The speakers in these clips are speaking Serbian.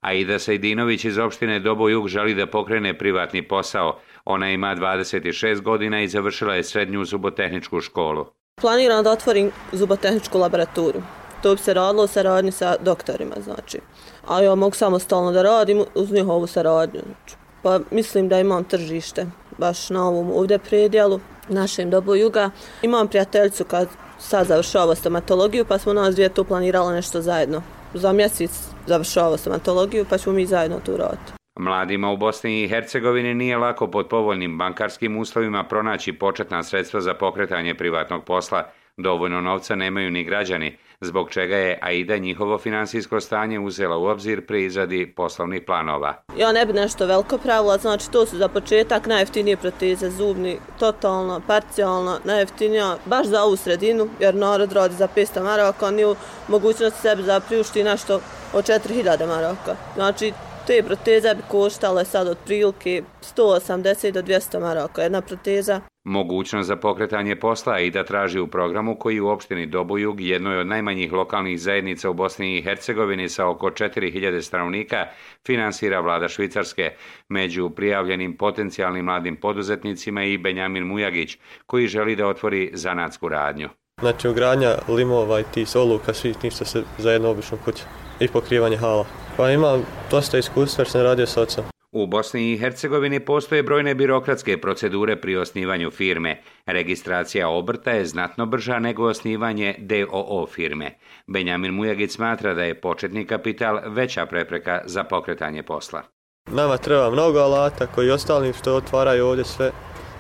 Aida Sejdinović iz opštine Doboj-Jug želi da pokrene privatni posao. Ona ima 26 godina i završila je srednju zubotehničku školu. Planiram da otvorim zubotehničku laboratoriju. To bi se radilo u saradnji sa doktorima, znači. A ja mogu samostalno da radim uz njihovu saradnju. Znači. Pa mislim da imam tržište baš na ovom ovdje predjelu, našem Doboj-Juga. Imam prijateljicu kad sad završava stomatologiju, pa smo nas dvije tu planirali nešto zajedno. Za mjesec završava stomatologiju, pa ćemo mi zajedno tu raditi. Mladima u Bosni i Hercegovini nije lako pod povoljnim bankarskim uslovima pronaći početna sredstva za pokretanje privatnog posla. Dovoljno novca nemaju ni građani, zbog čega je Aida njihovo finansijsko stanje uzela u obzir pri izradi poslovnih planova. Ja ne bi nešto veliko pravila, znači to su za početak najjeftinije proteze zubni, totalno, parcijalno, najjeftinija, baš za ovu sredinu, jer narod radi za 500 maraka, nije u mogućnosti sebi da priušti nešto od 4000 maraka. Znači, te proteze bi koštale sad otprilike 180 do 200 maraka, jedna proteza. Mogućnost za pokretanje posla Aida traži u programu koji u opštini Doboj-Jug, jednoj od najmanjih lokalnih zajednica u Bosni i Hercegovini sa oko 4000 stanovnika, finansira vlada Švicarske. Među prijavljenim potencijalnim mladim poduzetnicima i Benjamin Mujagić, koji želi da otvori zanatsku radnju. Znači ugradnja limova i tih oluka, svih ništa se za jednu običnu kuću i pokrivanje hala. Pa imam dosta iskustva jer sam radio s ocem. U Bosni i Hercegovini postoje brojne birokratske procedure pri osnivanju firme. Registracija obrta je znatno brža nego osnivanje DOO firme. Benjamin Mujagić smatra da je početni kapital veća prepreka za pokretanje posla. Nama treba mnogo alata koji ostali što otvaraju ovdje sve.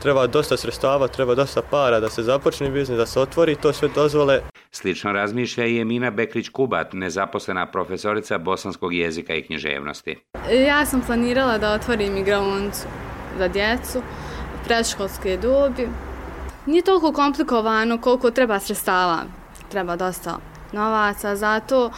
Treba dosta sredstava, treba dosta para da se započne biznis, da se otvori to sve dozvole. Slično razmišlja i Emina Beklić-Kubat, nezaposlena profesorica bosanskog jezika i književnosti. Ja sam planirala da otvorim igraonicu za djecu, predškolske dobi. Nije toliko komplikovano koliko treba sredstava. Treba dosta novaca za to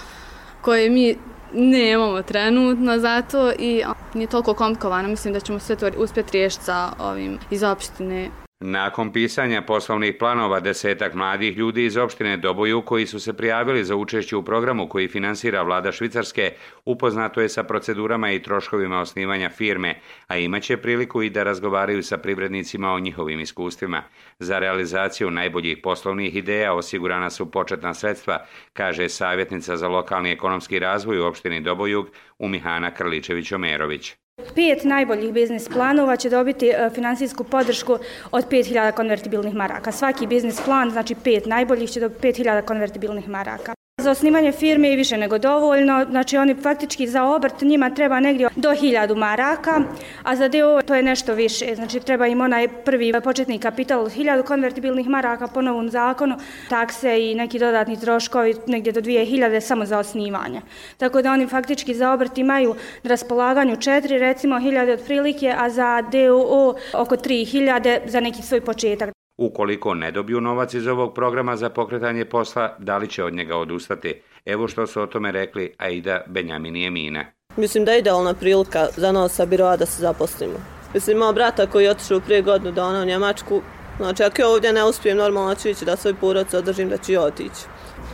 koje mi nemamo trenutno za to i nije toliko komplikovano. Mislim da ćemo sve to uspjeti riješiti sa ovim iz opštine. Nakon pisanja poslovnih planova, 10-ak mladih ljudi iz opštine Doboj-Jug koji su se prijavili za učešće u programu koji finansira vlada Švicarske, upoznato je sa procedurama i troškovima osnivanja firme, a imaće priliku i da razgovaraju sa privrednicima o njihovim iskustvima. Za realizaciju najboljih poslovnih ideja osigurana su početna sredstva, kaže savjetnica za lokalni ekonomski razvoj u opštini Doboj-Jug Umihana Krličević-Omerović. 5 najboljih biznis planova će dobiti finansijsku podršku od 5000 konvertibilnih maraka. Svaki biznis plan, znači 5 najboljih, će dobiti 5000 konvertibilnih maraka. Za osnivanje firme je više nego dovoljno, znači oni faktički za obrt njima treba negdje do 1000 maraka, a za DOO to je nešto više, znači treba im onaj prvi početni kapital od 1000 konvertibilnih maraka po novom zakonu, takse i neki dodatni troškovi negdje do 2000 samo za osnivanje. Tako da oni faktički za obrt imaju na raspolaganju 4, recimo 1000 otprilike, a za DOO oko 3000 za neki svoj početak. Ukoliko ne dobiju novac iz ovog programa za pokretanje posla, da li će od njega odustati? Evo što su o tome rekli Aida, Benjamin i Emina. Mislim da je idealna prilika za nas sa biroa da se zaposlimo. Mislim, imao brata koji je otišao prije godinu dana u Njemačku. Znači, ako ja ovdje ne uspijem, normalno ću ići da svoj porodicu održim, da ću ja otići.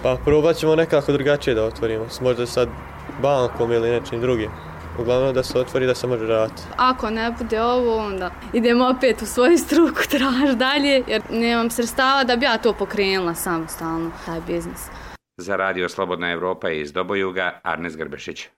Pa probat ćemo nekako drugačije da otvorimo, možda sad bankom ili nečim drugim. Uglavnom da se otvori da se može raditi. Ako ne bude ovo, onda idemo opet u svoju struku, traž dalje, jer nemam sredstava da bi ja to pokrenula samostalno, taj biznis. Za Radio Slobodna Evropa iz Doboj-Juga, Arnes Grbešić.